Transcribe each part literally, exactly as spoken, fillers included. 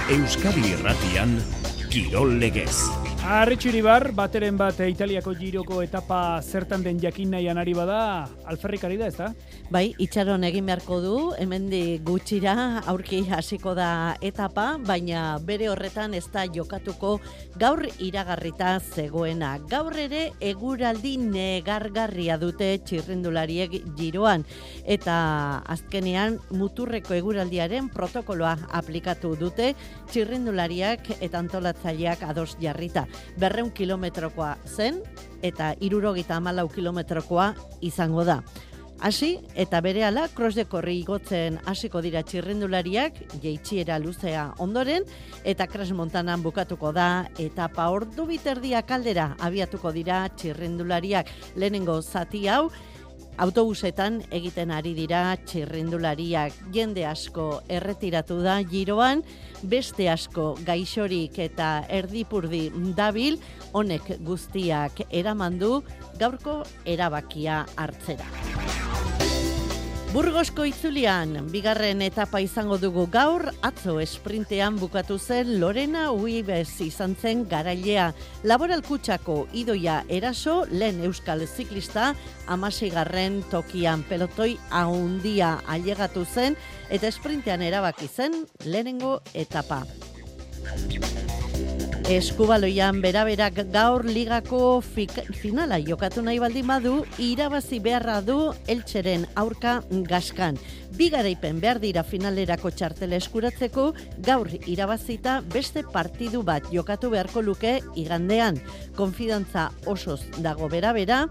Euskadi Irratian, Kirol Legez. Arritxu Iribar, bateren bat Italiako giroko etapa zertan den jakin nahian ari bada, alferrik ari da, ez da? Bai, itxaron egin beharko du, hemendik gutxira aurki hasiko da etapa, baina bere horretan ez da jokatuko gaur iragarrita zegoena. Gaur ere eguraldi negargarria dute txirrindulariek giroan, eta azkenean muturreko eguraldiaren protokoloa aplikatu dute txirrindulariak eta antolatzaileak ados jarrita. Berreun kilometrokoa zen eta hirurogeita hamalau kilometrokoa izango da. Hasi eta berehala cross de korri igotzen hasiko dira txirrindulariak, jaitsiera luzea ondoren, eta Crash Montanan bukatuko da etapa ordu biterdiak aldera abiatuko dira txirrindulariak. Lehenengo zati hau autobusetan egiten ari dira txirrindulariak. Jende asko erretiratu da giroan, beste asko gaixorik eta erdipurdi dabil, honek guztiak eramandu gaurko erabakia hartzera. Burgosko itzulian, bigarren etapa izango dugu gaur, atzo esprintean bukatu zen Lorena Uibes izan zen garailea. Laboral Kutxako idoia eraso, lehen euskal ziklista, hamaseigarren tokian pelotoi haundia ailegatu zen, eta esprintean erabaki zen lehenengo etapa. Eskubaloian beraberak gaur ligako fik, finala jokatu nahi baldin badu, irabazi beharra du Eltxeren aurka Gaskan. Bi garaipen behar dira finalerako txartela eskuratzeko, gaur irabazita beste partidu bat jokatu beharko luke igandean. Konfidantza osoz dago berabera,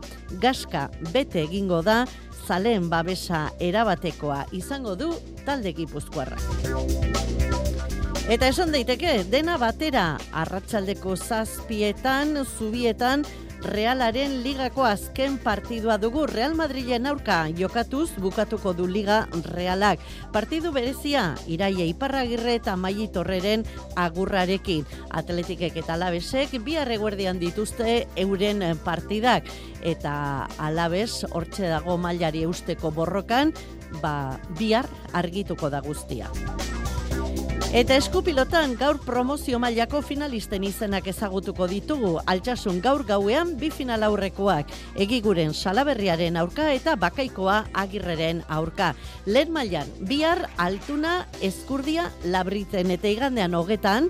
Gaska bete egingo da, zaleen babesa erabatekoa izango du talde gipuzkoarra. Eta esan daiteke, dena batera, arratsaldeko zazpietan, zubietan, Realaren ligako azken partidua dugu. Real Madrilen aurka jokatuz bukatuko du liga Realak. Partidu berezia, Iraia Iparragirre eta Maili Torreren agurrarekin. Atletikek eta Alabesek bihar eguerdian dituzte euren partidak. Eta Alabes hortxe dago mailari eusteko borrokan, ba, bihar argituko da guztia. Eta eskupilotan gaur promozio mailako finalisten izenak ezagutuko ditugu. Altsasun gaur gauean bi final aurrekoak, Egiguren Salaberriaren aurka eta Bakaikoa Agirreren aurka. Lehen mailan bihar Altuna Ezkurdia Labritzen eta igandean hogetan,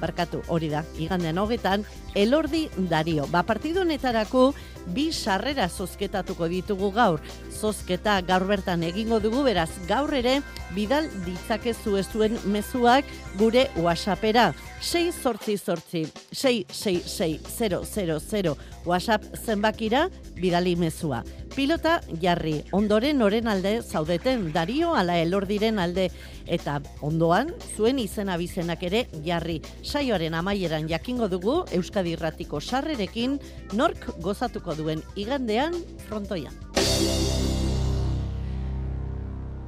barkatu hori da, igandean hogetan, Elordi Dario. Ba, partidu honetarako bi sarrera zozketatuko ditugu gaur. Zozketa gaur bertan egingo dugu, beraz gaur ere bidal ditzakezu zuen mezuak gure WhatsAppera. sei zortzi zortzi sei sei sei zero zero zero WhatsApp zenbakira bidali mezua. Pilota jarri, ondoren noren alde zaudeten, Dario ala Elordiren alde, eta ondoan zuen izena bizenak ere jarri. Saioaren amaieran jakingo dugu Euskadi Irratiko sarrerekin nork gozatuko duen igandean frontoian.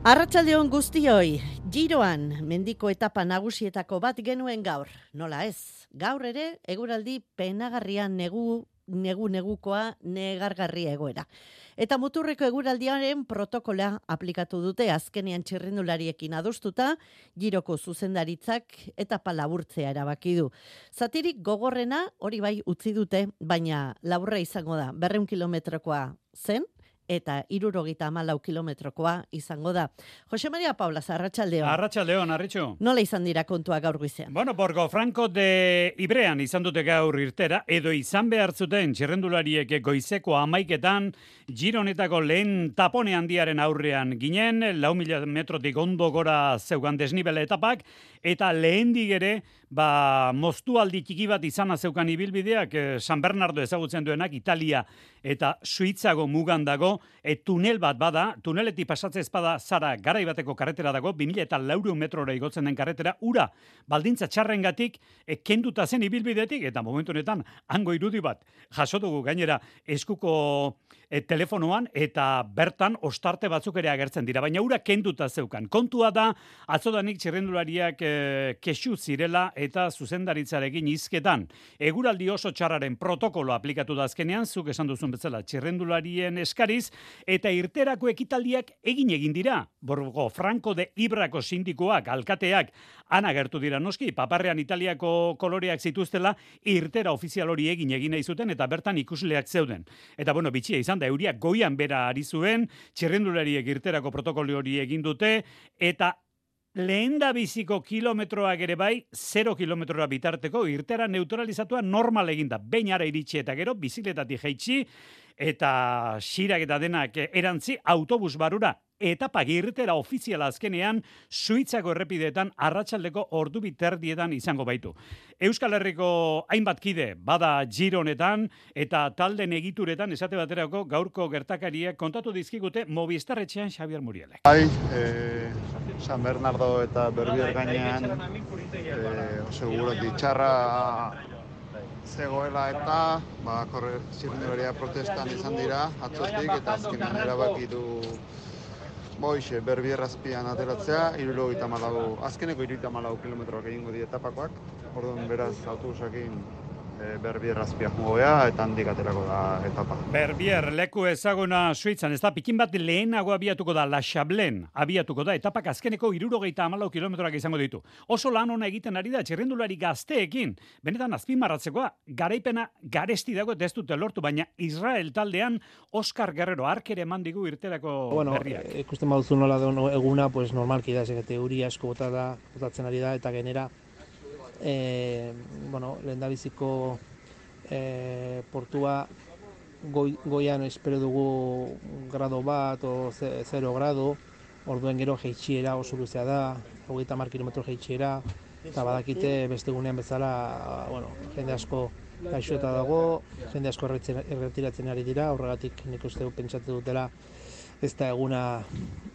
Arratsaldeon guztioi, giroan mendiko etapa nagusietako bat genuen gaur. Nola ez, gaur ere eguraldi penagarria negu, negu negukoa negargarria egoera. Eta muturreko eguraldiaren protokola aplikatu dute azkenean txirrindulariekin adostuta, giroko zuzendaritzak etapa laburtzea erabaki du. Zatirik gogorrena hori bai utzi dute, baina laburra izango da, berreun kilometrokoa zen, eta hirurogeita hamalau kilometrokoa izango da. Jose Maria Paula, arratsaldeon. Arratsaldeon, Arritxu. Nola izan dira kontua gaur goizean? Bueno, Borgo Franco de Ibrean izan dute gaur irtera, edo izan behar zuten txirrendulariek goizeko hamaiketan, giro honetako lehen tapone handiaren aurrean ginen, lau mila metrotik ondo gora zeugan desnibele etapak, eta lehendik ere, ba, moztualdi txiki bat izana zeukan ibilbideak, eh, San Bernardo ezagutzen duenak, Italia eta Suitzago mugan dago, e, tunel bat bada, tuneletik pasatzez bada zara garai bateko karretera dago, bi mila eta laurehun metrora igotzen den karretera, ura, baldintza txarrengatik, e, kenduta zen ibilbidetik, eta momentu honetan, hango irudi bat, jaso dugu gainera eskuko e, telefonoan, eta bertan ostarte batzuk ere agertzen dira, baina ura kenduta zeukan. Kontua da, atzodanik txirrendulariak e, kexu zirela, eta zuzendaritzarekin hizketan. Eguraldi oso txarraren protokolo aplikatu da azkenean, zuk esan duzun bezala, txirrendularien eskariz, naiz, eta irterako ekitaldiak egin egin dira. Borgo Franco de Ibrako sindikoak, alkateak, ana gertu dira noski, paparrean Italiako koloreak zituztela, irtera ofizial hori egin egin nahi zuten, eta bertan ikusleak zeuden. Eta bueno, bitxia izan da, euriak goian bera ari zuen, txirrendulariek irterako protokolo hori egin dute, eta lehen da biziko kilometroak ere bai, zero kilometrora bitarteko, irtera neutralizatua normal eginda. Behin ara iritsi eta gero, bizikletatik jaitsi, eta xirak eta denak erantzi, autobus barura, etapa irtera ofiziala azkenean, Suitzako errepideetan arratsaldeko ordu biterdietan izango baitu. Euskal Herriko hainbat kide, bada Giro honetan, eta talden egituretan, esate baterako gaurko gertakariek kontatu dizkigute Movistar etxean Xabier Murielek. Bai, eh, San Bernardo eta Berbier gainean, eh, seguro ditxarra zegoela eta ba, korre, zirrendularia protestan izan dira atzotik eta azkenean erabaki du boixe Berbier azpian ateratzea, hirurogeita hamalau, azkeneko hirurogeita hamalau kilometroak egingo di etapakoak, orduan beraz autobusakin e, Berbier azpia jogoea eta handik aterako da etapa. Berbier leku ezaguna Suitzan, ez da, pikin bat lehenago abiatuko da, La Chablen abiatuko da, etapak azkeneko hirurogeita hamalau kilometroak izango ditu. Oso lan ona egiten ari da, txirrendulari gazteekin, benetan azpimarratzekoa, garaipena garesti dago ez dute lortu, baina Israel taldean Oscar Guerrero arkere eman digu irterako bueno, berriak. E, ikusten baduzu nola da eguna, pues normalki da, zegete euri asko bota da, botatzen ari da, eta genera, e, bueno, lehendabiziko e, portua goi, goian espero dugu grado bat o zero grado, orduen gero jeitsiera oso luzea da, hogeita hamar kilometro jeitsiera, eta badakite beste gunean bezala, bueno, jende asko gaixota dago, jende asko erretiratzen ari dira, horregatik nik uste pentsatu dutela ez da eguna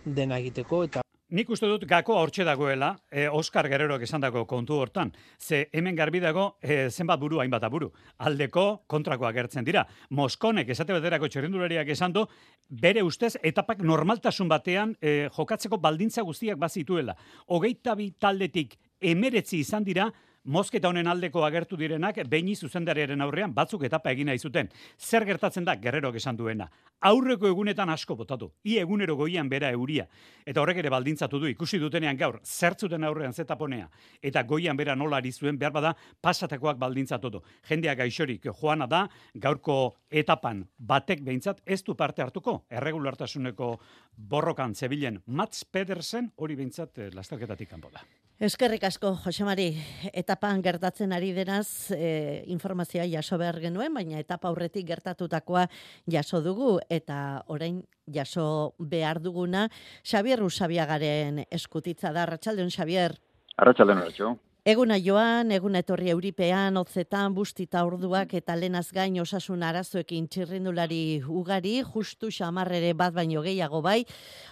dena egiteko, eta Nik uste dut gakoa hortxe dagoela, eh, Oscar Guerreroak esandako kontu hortan. Ze hemen garbi dago eh, zenbat buru hainbat aburu. Aldeko kontrakoa gertzen dira. Moskonek esate baterako txirrindulariak esan du, bere ustez etapak normaltasun batean eh, jokatzeko baldintza guztiak bazituela. Hogeita bi taldetik emeretzi izan dira, mozketa honen aldeko agertu direnak, beini zuzendariaren aurrean batzuk etapa egin nahi zuten. Zer gertatzen da Guerrerok esan duena? Aurreko egunetan asko botatu. I egunero goian bera euria. Eta horrek ere baldintzatu du, ikusi dutenean gaur, zertzuten aurrean zetaponea. Eta goian bera nola ari zuen, behar bada, pasatakoak baldintzatu du. Jendeak gaixorik joana da, gaurko etapan batek behintzat ez du parte hartuko. Erregulartasuneko borrokan zebilen Mats Pedersen, hori behintzat lasterketatik kanpo da. Eskerrik asko, Josemari. Etapan gertatzen ari denaz, e, informazioa jaso behar genuen, baina etapa aurretik gertatutakoa jaso dugu, eta orain jaso behar duguna, Xabier Usabiagaren eskutitza da. Arratsaldeon, Xabier. Arratsaldeon, Arratxo. Eguna joan, eguna etorri euripean, hotzetan, bustita orduak eta lenaz gain osasun arazoekin txirrindulari ugari, justu xamarrere bat baino gehiago bai.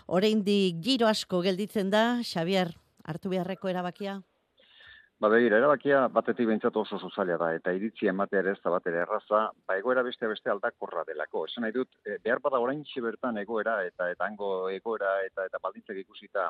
Oraindik giro asko gelditzen da, Xabier, hartu beharreko erabakia? Ba, begira, erabakia batetik behintzat oso zaila da, eta iritzi ematea ere ez da bat ere erraza, ba, egoera beste beste aldakorra delako. Esan nahi dut, e, behar bada oraintxe bertan egoera, eta eta hango egoera, eta eta baldintzak ikusita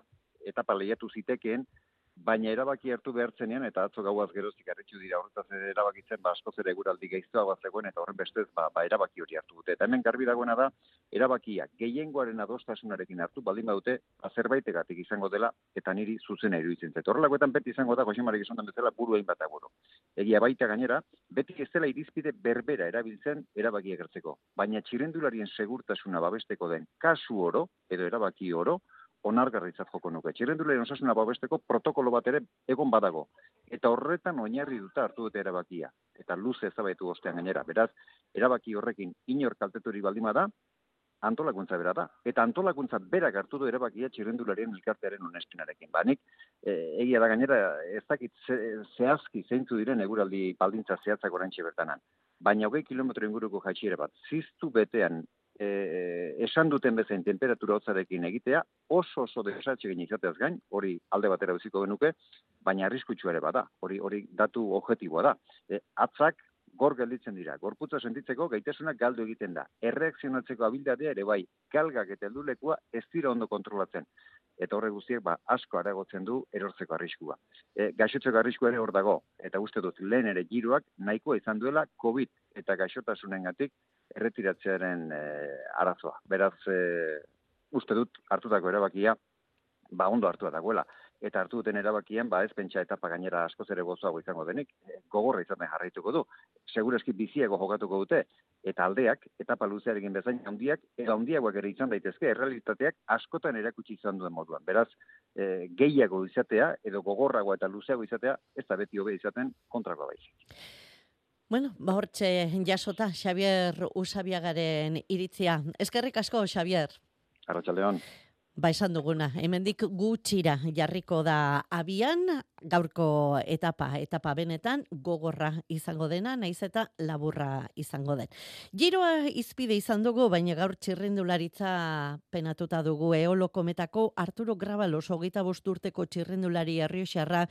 etapa lehiatu zitekeen, baina erabaki hartu behartzenean, eta atzo gauaz geroztik arretxu dira horretaz erabakitzen, ba, askoz ere eguraldi gaiztoa zegoen, eta horren bestez, ba, ba, erabaki hori hartu dute. Eta hemen garbi dagoena da, erabakia gehiengoaren adostasunarekin hartu, baldin badute, ba, zerbaitegatik izango dela, eta niri zuzena iruditzen zait. Horrelakoetan beti izango da, Josemarek esan den bezala, buru egin bat agoro. Egia baita gainera, beti ez dela irizpide berbera erabiltzen erabakia gertzeko. Baina txirrendularien segurtasuna babesteko den kasu oro, edo erabaki oro, onargarritzat joko nuke. Txirrendularien osasuna babesteko protokolo bat ere egon badago. Eta horretan oinarri duta hartu dute erabakia. Eta luze ezabaitu ostean gainera. Beraz, erabaki horrekin inor kalteturi baldima da, antolakuntza bera da. Eta antolakuntza berak hartu du erabakia txirrendularien elkartearen onespenarekin. Ba, nik, e, egia da gainera, ez dakit ze, zehazki zeintzu diren eguraldi baldintza zehatzak oraintxe bertanan. Baina hogei kilometro inguruko jaitsiera bat, ziztu betean, E, esan duten bezain temperatura hotzarekin egitea, oso oso desatxe gine izateaz gain, hori alde batera uziko genuke, baina arriskutsua ere bada, hori hori datu objektiboa da. E, atzak gor gelditzen dira, gorputza sentitzeko gaitasunak galdu egiten da. Erreakzionatzeko abildadea ere bai, galgak eta heldulekua ez dira ondo kontrolatzen. Eta horre guztiek ba, asko areagotzen du erortzeko arriskua. E, gaixotzeko arriskua ere hor dago, eta uste dut lehen ere giroak nahikoa izan duela COVID eta gaixotasunengatik erretiratzearen e, arazoa. Beraz, e, uste dut hartutako erabakia, ba ondo hartua dagoela. Eta hartu duten erabakian, ba ez pentsa etapa gainera askoz ere gozoago izango denik, gogorra izaten jarraituko du. Segurazki biziago jokatuko dute, eta aldeak, etapa luzearekin bezain handiak, eta handiagoak ere izan daitezke, errealitateak askotan erakutsi izan duen moduan. Beraz, e, gehiago izatea, edo gogorrago eta luzeago izatea, ez da beti hobe izaten kontrako baizik. Bueno, ba hortxe jasota, Xabier Usabiagaren iritzia. Eskerrik asko, Xabier. Arratsaldeon. Ba esan duguna, hemendik gutxira jarriko da abian, gaurko etapa, etapa benetan gogorra izango dena, naiz eta laburra izango den. Giroa izpide izan dugu, baina gaur txirrindularitza penatuta dugu. Eolo Kometako Arturo Grabalos, hogeita bost urteko txirrindulari errioxarra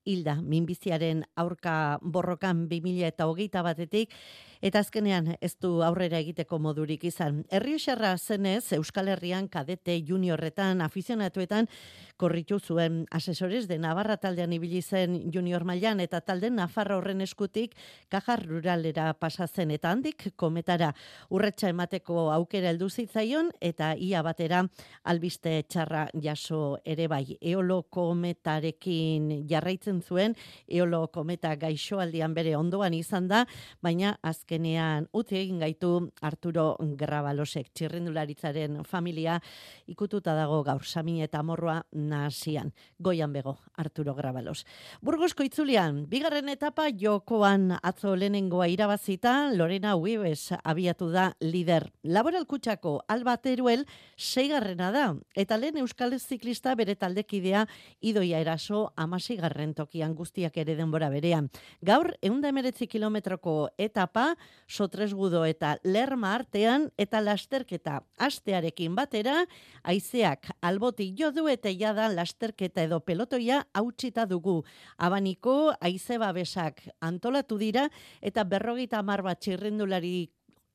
hilda minbiziaren aurka borrokan bi mila eta hogeita batetik, eta azkenean ez du aurrera egiteko modurik izan. Errioxarra zenez, Euskal Herrian kadete juniorretan, afizionatuetan korritu zuen asesores de Navarra taldean ibili zen junior mailan, eta talde Nafarra horren eskutik Kajar Ruralera pasatzen, eta handik Kometara urretsa emateko aukera heldu zitzaion, eta ia batera albiste txarra jaso ere bai. Eolo Kometarekin jarraitzen zuen, Eolo Kometa gaixoaldian bere ondoan izan da, baina azkenean utzi egin gaitu Arturo Grabalosek. Txirrindularitzaren familia ikututa dago gaur, Samin eta Morroa nahasian. Goian bego, Arturo Grabalos. Burgosko itzulian, bigarren etapa jokoan atzo lehenengoa irabazita, Lorena Uibes abiatu da lider. Laboral Kutxako Alba Teruel seigarrena da, eta lehen euskal ziklista bere taldekidea Idoia Eraso hamaseigarren tokian, guztiak ere denbora berean. Gaur, ehun eta hemeretzi kilometroko etapa, Sotresgudo eta Lerma artean, eta lasterketa astearekin batera, haizeak albotik jo du eta jada lasterketa edo pelotoia hautsita dugu. Abaniko haize babesak antolatu dira, eta berrogeita hamar bat txirrindulari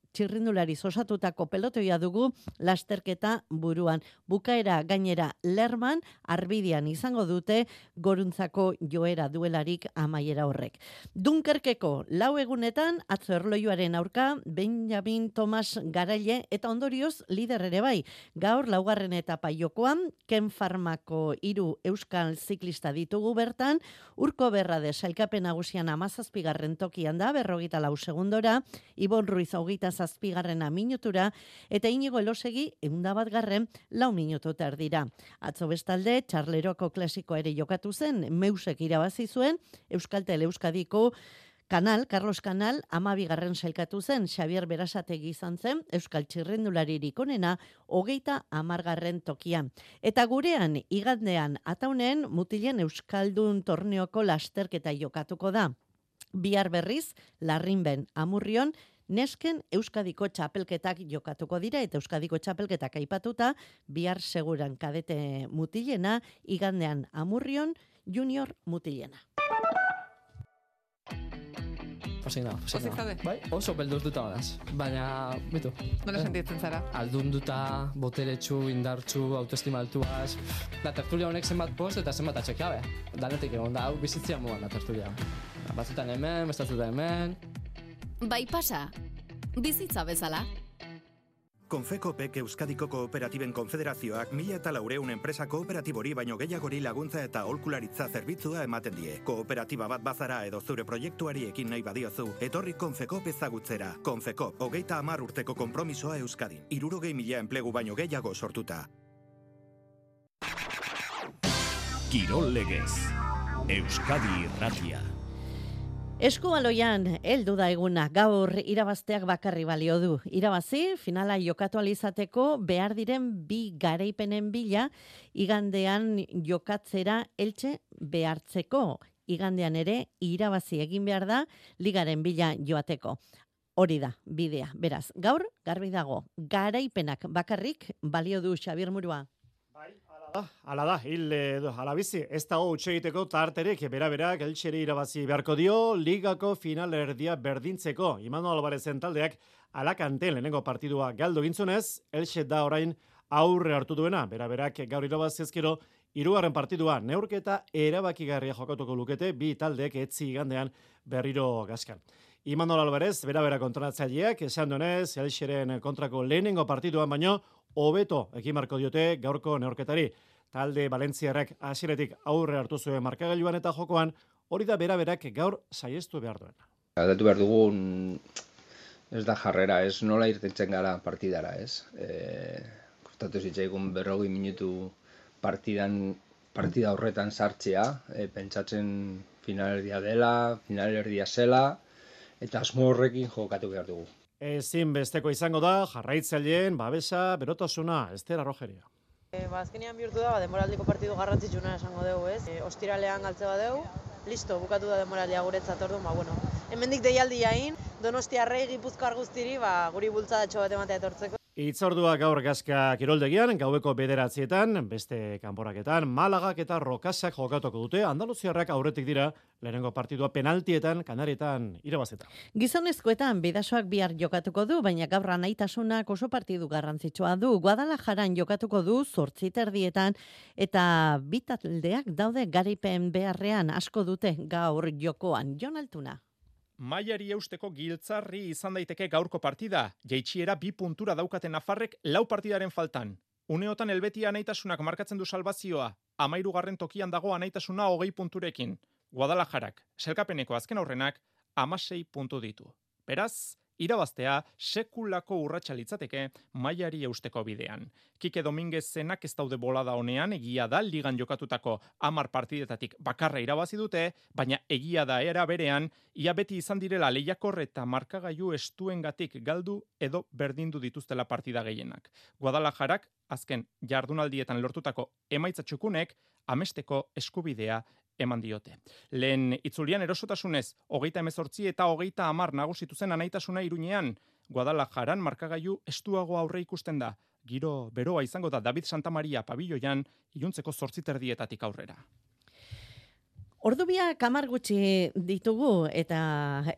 txirrindulari osatutako pelotoia dugu lasterketa buruan. Bukaera gainera Lerman arbidian izango dute goruntzako joera duelarik amaiera horrek. Dunkerkeko lau egunetan atzo erlojuaren aurka Benjamin Tomas Garaile eta ondorioz lider ere bai. Gaur laugarren etapa jokoan Ken Farmako hiru euskal ziklista ditugu bertan, Urko Berrade sailkapen nagusian hamazazpigarren tokian da berrogeita lau segundora, Ibon Ruiz hogeita zazpigarrena minutura, eta Inigo Elosegi ehunda bat garren lau minutu terdira. Atzo bestalde, Txarleroko klasikoa ere jokatu zen, Meusek irabazi zuen, Euskaltel Euskadiko Kanal, Carlos Kanal, amabigarren sailkatu zen, Xabier Berasategi izan zen, Euskal Txirrendularirik onena, hogeita amargarren tokian. Eta gurean, igandean, ataunen, mutilen Euskaldun torneoko lasterketa jokatuko da. Bihar berriz, Larrinben, Amurrion, nesken Euskadiko txapelketak jokatuko dira, eta Euskadiko txapelketak aipatuta, bihar seguran kadete mutilena, igandean Amurrion, junior mutilena. Pozik nago, pozik Pozik nago. zaude? Bai, oso belduz duta badaz. Baina, bitu. Nola sentitzen zara? Aldun duta, boteretsu, indartsu, autoestima altuaz. Da, tertulia honek zenbat post eta zenbat atxekiabe. Danetik egon da, hau bizitzia mugan da tertulia. Batzutan hemen, bestatutan hemen. Bai pasa, bizitza bezala. Konfekopek Euskadiko Kooperatiben Konfederazioak mila eta laureun enpresa kooperatibori baino gehiagori laguntza eta aholkularitza zerbitzua ematen die. Kooperatiba bat bazara edo zure proiektuari ekin nahi badiozu, etorri Konfekop ezagutzera. Konfekop, hogeita hamar urteko konpromisoa Euskadin. Hirurogei mila enplegu baino gehiago sortuta. Kirol Legez, Euskadi Irratia. Eskubaloian, heldu da eguna, gaur irabazteak bakarri balio du. Irabazi, finala jokatu alizateko behar diren bi garaipenen bila, igandean jokatzera eltxe behartzeko. Igandean ere, irabazi egin behar da, ligaren bila joateko. Hori da, bidea. Beraz, gaur, garbi dago, garaipenak bakarrik balio du, Xabier Murua. Hala da, hil edo alabizi, ez dago utxe egiteko tarterik, bera-berak eltseri irabazi beharko dio, ligako final erdia berdintzeko. Imano Albarezen taldeak Alakanten lehenengo partidua galdu gintzunez, eltxe da orain aurre hartu duena, bera-berak gaur irabazi ezkero, hirugarren partidua neurketa erabakigarria jokatuko lukete, bi taldeek etzi igandean berriro gaskan. Imanol Alvarez, bera-bera kontratzaileak, esan duenez, Elxeren kontrako lehenengo partiduan baino, hobeto ekin marko diote gaurko neorketari. Talde Valentziarrak hasieratik aurre hartu zuen markagailuan eta jokoan, hori da bera-berak gaur saiestu behar duena. Aldatu behar dugun, ez da jarrera, ez nola irtentzen gara partidara, ez? E, kostatu zitzaigun berrogei minutu partidan, partida horretan sartzea, e, pentsatzen finalerdia dela, finalerdia zela, eta asmo horrekin jokatu behar dugu. Ezin besteko izango da, jarraitzaileen, babesa, berotasuna, Ester Arrojeria. E, ba, azkenean bihurtu da, ba, demoraldiko partidu garrantzitsuna esango dugu, ez? E, ostiralean galtze badeu, listo, bukatu da demoraldia guretzat, orduan, ba, bueno. Hemendik deialdi jain, Donostiarrei Gipuzkoar guztiri, ba, guri bultzadatxo bat ematea etortzeko. Itzordua gaur Gazka kiroldegian, gaueko bederatzietan, beste kanporaketan, Malagak eta Rokasak jokatuko dute, Andaluziarrak aurretik dira, lehenengo partidua penaltietan, Kanarietan irabazeta. Gizonezkoetan bidasoak bihar jokatuko du, baina gaur anaitasunak oso partidu garrantzitsua du. Guadalajaran jokatuko du zortzi terdietan, eta bi taldeak daude garaipen beharrean asko dute gaur jokoan. Jon Altuna. Mailari eusteko giltzarri izan daiteke gaurko partida, jaitsiera bi puntura daukaten nafarrek lau partidaren faltan. Uneotan Helbeti anaitasunak markatzen du salbazioa, hamahirugarren tokian dago anaitasuna hogei punturekin. Guadalajarak, selkapeneko azken aurrenak, hamasei puntu ditu. Beraz, irabaztea sekulako urratsa litzateke mailari eusteko bidean. Kike Dominguezenak ez daude bolada honean, egia da ligan jokatutako hamar partidetatik bakarra irabazi dute, baina egia da era berean, ia beti izan direla lehiakor eta markagailu estuengatik galdu edo berdindu dituztela partida gehienak. Guadalajarak, azken jardunaldietan lortutako emaitza txukunek, amesteko eskubidea eman diote. Lehen itzulian erosotasunez, hogeita hemezortzi eta hogeita hamar nagusitu zen anaitasuna Iruñean, Guadalajaran markagailu estuago aurre ikusten da. Giro beroa izango da David Santamaria pabilloian, iluntzeko zortzi terdietatik aurrera. Ordubiak hamar gutxi ditugu eta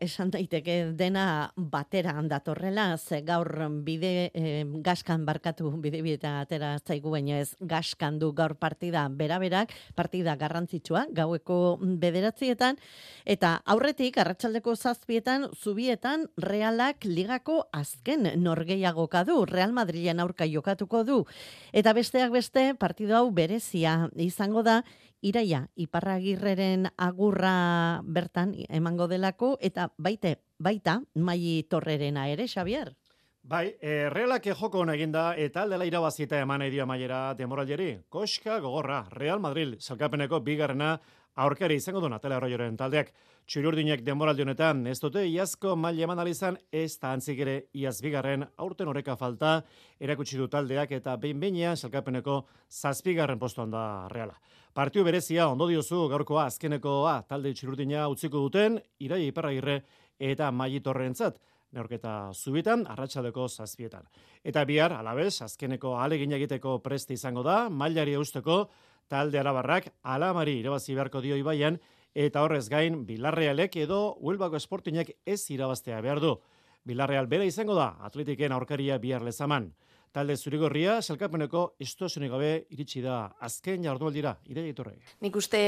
esan daiteke dena batera datorrela, ze gaur bide eh, gaskan barkatu bide bieta atera zaigu, baina ez gaskan du gaur partida beraberak, partida garrantzitsua, gaueko bederatzietan, eta aurretik arratsaldeko zazpietan, zubietan Realak ligako azken norgeiagoka du, Real Madrilen aurka jokatuko du, eta besteak beste partidu hau berezia izango da, Iraia, Iparragirreren agurra bertan emango delako, eta baite, baita Mai Torrerena ere, Xavier? Bai, e, Realak joko hona eginda, eta aldela irabazita eman edio maiera demoralieri. Koska gogorra, Real Madrid, salkapeneko bigarrena aurkari izango du Natalia Arroyoren taldeak. Txuriurdinek demoraldi honetan ez dute iazko maila eman alizan, ez da antzik ere iaz bigarren aurten oreka falta, erakutsi du taldeak eta behin-beinean salkapeneko zazpigarren postuan da Reala. Partiu berezia ondo diozu gaurkoa azkenekoa talde txuriurdina utziko duten, Iraia Iparragirre eta Mai Torrentzat, neurketa zubitan, arratsaldeko zazpietan. Eta bihar, alabez, azkeneko ahalegina egiteko preste izango da, mailari eusteko talde arabarrak alamari irabazi beharko dio Ibaian, eta horrez gain, Bilarrealek edo Huelvako Sportingek ez irabaztea behar du. Bilarreal bera izango da, Atletiken aurkaria bihar lezaman. Talde zurigorria, selkapeneko estuazionik gabe iritsi da azken jardunaldira, Iraia Iturrek. Nik uste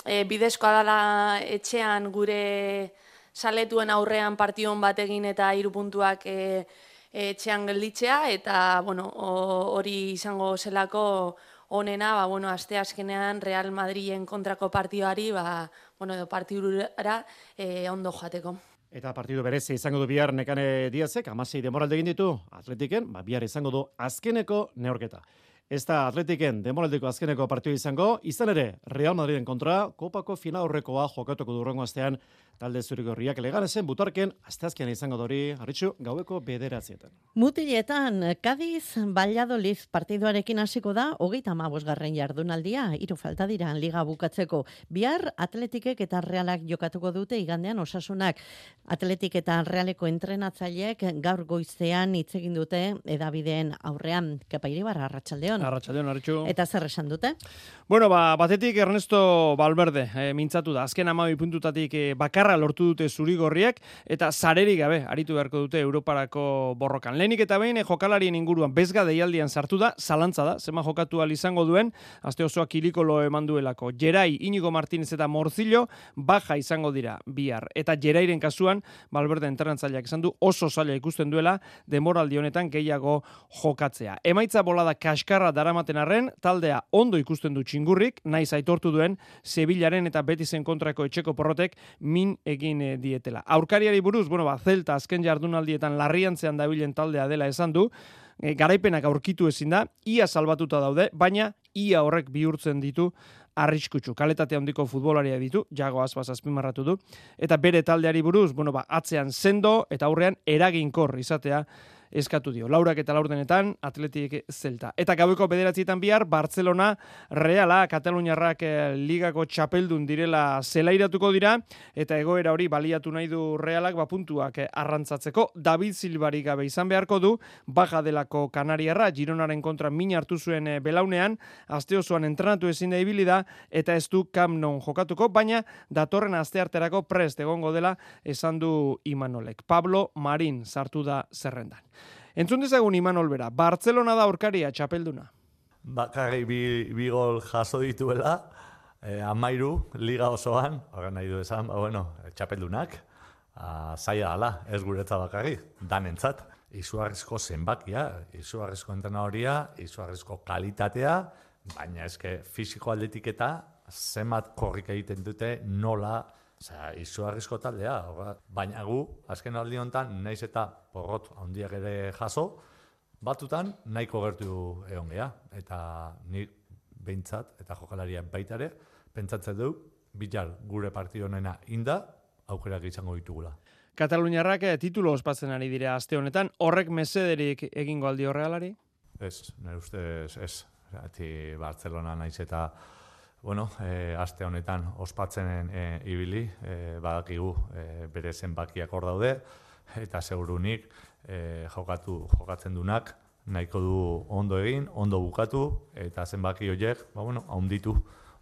e, bidezkoa dela etxean gure saletuen aurrean partion bat egin eta hiru puntuak e, etxean gelditzea, eta bueno, hori izango zelako honena, ba, bueno, aste azkenean Real Madrilen kontrako partioari, ba, bueno, edo partidura e, ondo joateko. Eta partidu berezi izango du bihar Nekane Diazek, hamasei demoralde egin ditu, Atletiken, ba, bihar izango du azkeneko neorketa. Ez da Atletiken demoraldeko azkeneko partidu izango, izan ere Real Madriden kontra, kopako final aurrekoa jokatuko du hurrengo astean, talde zurigorriak Leganesen butarken, asteazkean izango dori, Arritxu, gaueko bederatzietan. Mutiletan, Cádiz Valladolid partiduarekin hasiko da, hogeita hamabosgarren jardunaldia, hiru falta dira liga bukatzeko. Bihar Atletikek eta Realak jokatuko dute igandean Osasunak. Atletik eta Realeko entrenatzaileek gaur goizean hitz egin dute edabideen aurrean. Kepa Iribarra, arratsaldeon. Arratsaldeon. Arratsaldeon, Arritxu. Eta zer esan dute? Bueno, ba, batetik Ernesto Valverde e, mintzatu da. Azken hamabi puntutatik e, bakarra lortu dute zurigorriak eta sarerik gabe aritu beharko dute Europarako borrokan. Lehenik eta behin e, jokalarien inguruan bezga deialdian sartu da, zalantza da, zema jokatu al izango duen, aste osoa kilikolo eman duelako. Gerai, Inigo Martínez eta Morzillo baja izango dira bihar. Eta Gerairen kasuan, Valverde entrenatzaileak esan du oso zaila ikusten duela denboraldi honetan gehiago jokatzea. Emaitza bolada kaskarra daramaten arren, taldea ondo ikusten du txingurrik, naiz aitortu duen Sevillaren eta Betisen kontrako etxeko porrotek min egin dietela. Aurkariari buruz, bueno, ba, Celta azken jardunaldietan larriantzean dabilen taldea dela esan du, e, garaipenak aurkitu ezin da, ia salbatuta daude, baina ia horrek bihurtzen ditu arriskutsu. Kaletate handiko futbolaria ditu, Jago Aspas azpimarratu du, eta bere taldeari buruz, bueno, ba, atzean sendo eta aurrean eraginkor izatea eskatu dio. Laurak eta laurdenetan Atletik Zelta. Eta gaueko bederatzietan bihar Barcelona Reala Kataluniarrak eh, ligako txapeldun direla zelairatuko dira eta egoera hori baliatu nahi du Realak ba puntuak eh, arrantzatzeko. David Silvari gabe izan beharko du baja delako Kanariarra Gironaren kontra min hartu zuen eh, belaunean, aste osoan entrenatu ezin da ibili da eta ez du Camp Nou jokatuko, baina datorren astearterako prest egongo dela esan du Imanolek. Pablo Marín sartu da zerrendan. Entzun dezagun Imanol bera, Barcelona da aurkaria txapelduna. Bakarrik bi, bi gol jaso dituela, eh, amairu, liga osoan, horren nahi du esan, ba, bueno, txapeldunak, ah, zaila dala, ez guretza bakarrik, danentzat. Izugarrizko zenbakia, izugarrizko entrenadoria, izugarrizko kalitatea, baina eske fisiko aldetik eta zenbat korrik egiten dute nola, osea, izugarrizko taldea, baina gu, azken aldi honetan, naiz eta porrot handiak ere jaso, batutan nahiko gertu egon geha, eta ni behintzat, eta jokalariak baita ere, pentsatzen du, bilar gure partido honena inda, aukerak izango ditugula. Kataluniarrak titulo ospatzen ari dira aste honetan, horrek mesederik egingo aldi Realari? Ez, nire ustez, ez. Ati Barcelona naiz eta bueno, eh, aste honetan ospatzenen eh, ibili, eh, badakigu eh, bere zenbakiak hor daude, eta segurunik eh, jokatu, jokatzen dunak nahiko du ondo egin, ondo bukatu, eta zenbaki horiek, ba, bueno, haunditu.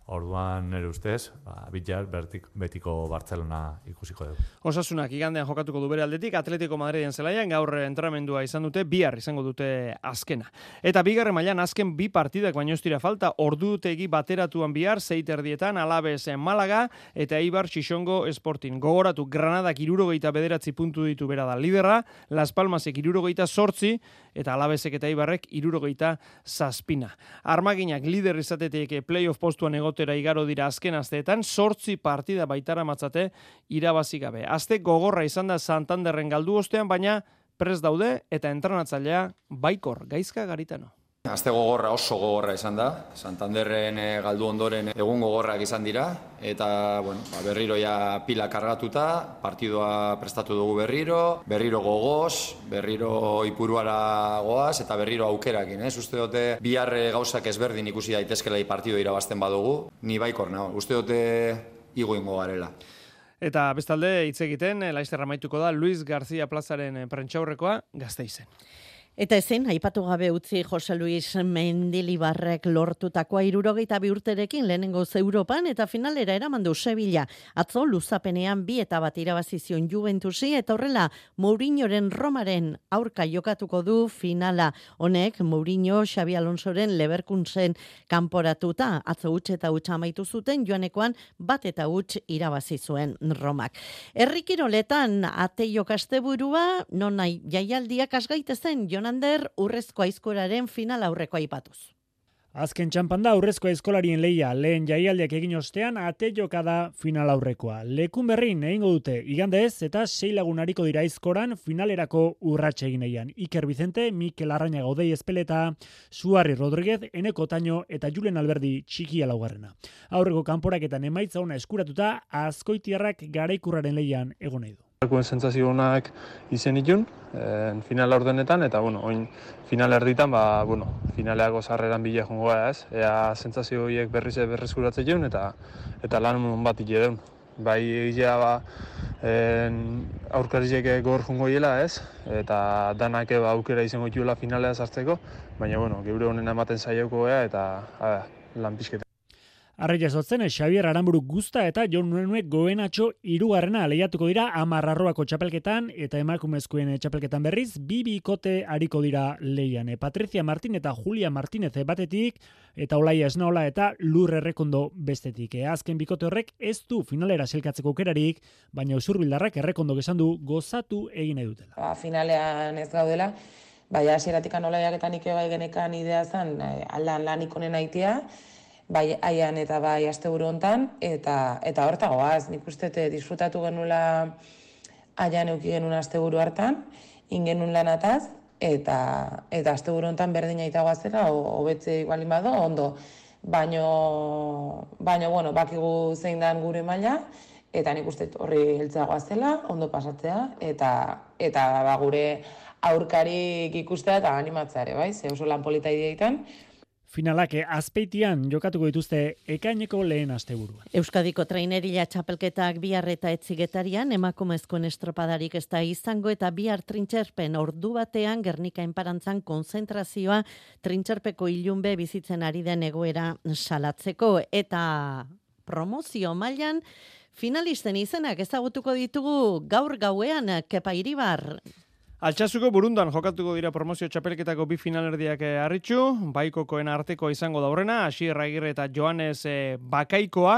Orduan nire ustez, ba, bilar betiko Barcelona ikusiko dugu. Osasunak igandean jokatuko du bere aldetik, Atletico Madriden zelaian gaur entrenamendua izan dute, bihar izango dute azkena. Eta bigarren mailan azken bi partidak baino ez dira falta, ordutegi bateratuan bihar, zeiterdietan, Alaves Malaga, eta Eibar Xixongo Sporting. Gogoratu, Granadak hirurogeita bederatzi puntu ditu bera da liderra, Las Palmasek hirurogeita zortzi, eta Alavesek eta Eibarrek hirurogeita zazpina. Armaginak lider izatetek playoff postuan egotera igaro dira azken asteetan, zortzi partida baitara matzate irabazi gabe. Aste gogorra izan da Santanderren galdu ostean, baina prest daude eta entrenatzailea baikor Gaizka Garitano. Aste gogorra oso gogorra izan da, Santanderren e, galdu ondoren egun gogorrak izan dira, eta bueno, ba, berriro ja pila kargatuta, partidua prestatu dugu berriro, berriro gogoz, berriro ipuruara goaz, eta berriro aukerakin, ez? Uste dute bihar gauzak ezberdin ikusi daitezkela partido irabazten badugu, ni baikor nago, uste dute igo ingo garela. Eta bestalde hitz egiten, laizter amaituko da Luis García Plazaren prentsaurrekoa Gasteizen. Eta ezin, aipatu gabe utzi Jose Luis Mendilibarrek lortutakoa hirurogeita bi urterekin lehenengo Europan eta finalera eraman du Sevilla. Atzo luzapenean bi eta bat irabazi zion Juventusi eta horrela Mourinhoren Romaren aurka jokatuko du finala. Honek Mourinho Xabi Alonsoren Leverkusen kanporatuta atzo huts eta huts amaitu zuten, joanekoan bat eta huts irabazi zuen Romak. Herri kiroletan Ateio Kasteburua non nahi jaialdiak asgaitezen Jonan Ander urrezko aizkoraren final aurreko aipatuz. Azken txampan da urrezko aizkolarien leia, lehen jaialdiak egin ostean ateioka da final aurrekoa. Lekun berrin egingo dute igandez eta sei lagun ariko dira aizkoran finalerako urratxe egin eian. Iker Vicente, Mikel Arrañaga Odei Espeleta, Suarri Rodríguez, Eneko Taño eta Julen Alberdi txikia laugarrena. Aurreko kanporaketan emaitza ona eskuratuta, Azkoitiarrak garaikurraren leian egon nahi du. Arkuen sentsazio honak izen itun, eh, final ordenetan, eta bueno, oin final erditan, ba, bueno, finaleako sarreran bila jongoa ez, ea sentsazio horiek berriz berreskuratzen jeun, eta eta lan bat ite deun. bai egia ba, aurkarizek gor jungo hiela, ez? Eta danak ba, aukera izango dituela finalea sartzeko, baina, bueno, geure honen ematen saioko gea eta a, lan pizketa. Arraia zotzen, Xabier Aramburu Guzta eta Jon Nuenuek Goenatxo hirugarrena lehiatuko dira hamar arroako txapelketan eta emakumezkoen txapelketan berriz bi bikote ariko dira lehian. Patricia Martin eta Julia Martinez batetik eta Olaia Esnaola eta Lur Errekondo bestetik. Azken bikote horrek ez du finalera selkatzeko aukerarik, baina Usurbildarrak Errekondo esan du gozatu egin nahi dutela. Ba, finalean ez gaudela, baina hasieratik Olaiak eta Nike bai genekan idea zen aldan lanik honen aitea, bai aian eta bai asteburu hontan, eta eta hortagoaz, nik uste disfrutatu genuela aian euki genuen asteburu hartan, ingenun lanataz, eta eta asteburu hontan berdina itagoa zela, hobetze igualin bado, ondo. Baino, baino, bueno, bakigu zein dan gure maila, eta nik uste horri heltzeagoa zela, ondo pasatzea, eta eta ba, gure aurkarik ikustea eta animatzea ere, bai, ze oso lan polita ideetan. Finalak Azpeitian jokatuko dituzte ekaineko lehen asteburua. Euskadiko traineria txapelketak bihar eta etzigetarian emakumezkoen estropadarik ez da izango eta bihar trintxerpen ordu batean Gernika enparantzan konzentrazioa trintxerpeko ilunbe bizitzen ari den egoera salatzeko eta promozio mailan finalisten izenak ezagutuko ditugu gaur gauean Kepa Iribar. Altsazuko Burundan jokatuko dira promozio txapelketako bi finalerdiak harritxu, Baikokoen arteko izango daurrena, Asier Agirre eta Joanes Bakaikoa,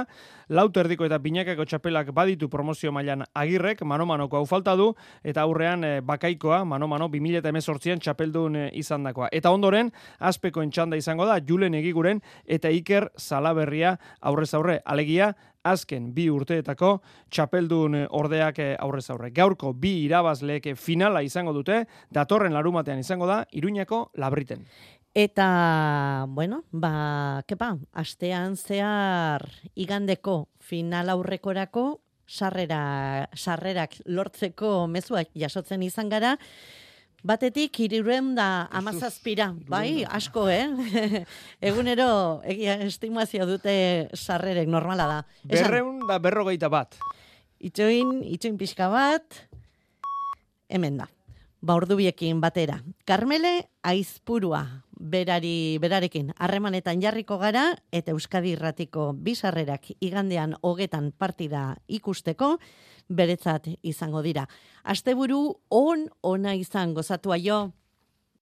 Lauterdiko eta Binakako txapelak baditu promozio mailan Agirrek, mano-manoko hau falta du, eta aurrean Bakaikoa, mano-mano, bi mila hemezortzian txapeldun izandakoa. Eta ondoren, Azpeko entxanda izango da, Julen Egiguren eta Iker Salaberria aurrez aurre, alegia, azken bi urteetako txapeldun ordeak aurrez aurre. Gaurko bi irabazleek finala izango dute, datorren larumatean izango da, Iruñako Labriten. Eta, bueno, ba, kepa, astean zehar igandeko final aurrekorako sarrera, sarrerak lortzeko mezuak jasotzen izan gara, batetik hirurehun da hamazazpira, bai, asko, eh? Egunero egia estimazio dute sarrerek normala da. Berreun da berrogeita bat. Itxoin, itxoin pixka bat, hemen da. Ba, ordubiekin batera. Karmele Aizpurua, berari, berarekin harremanetan jarriko gara, eta Euskadi Irratiko bisarrerak igandean hogetan partida ikusteko, beretzat izango dira. Asteburu on ona izan gozatua jo.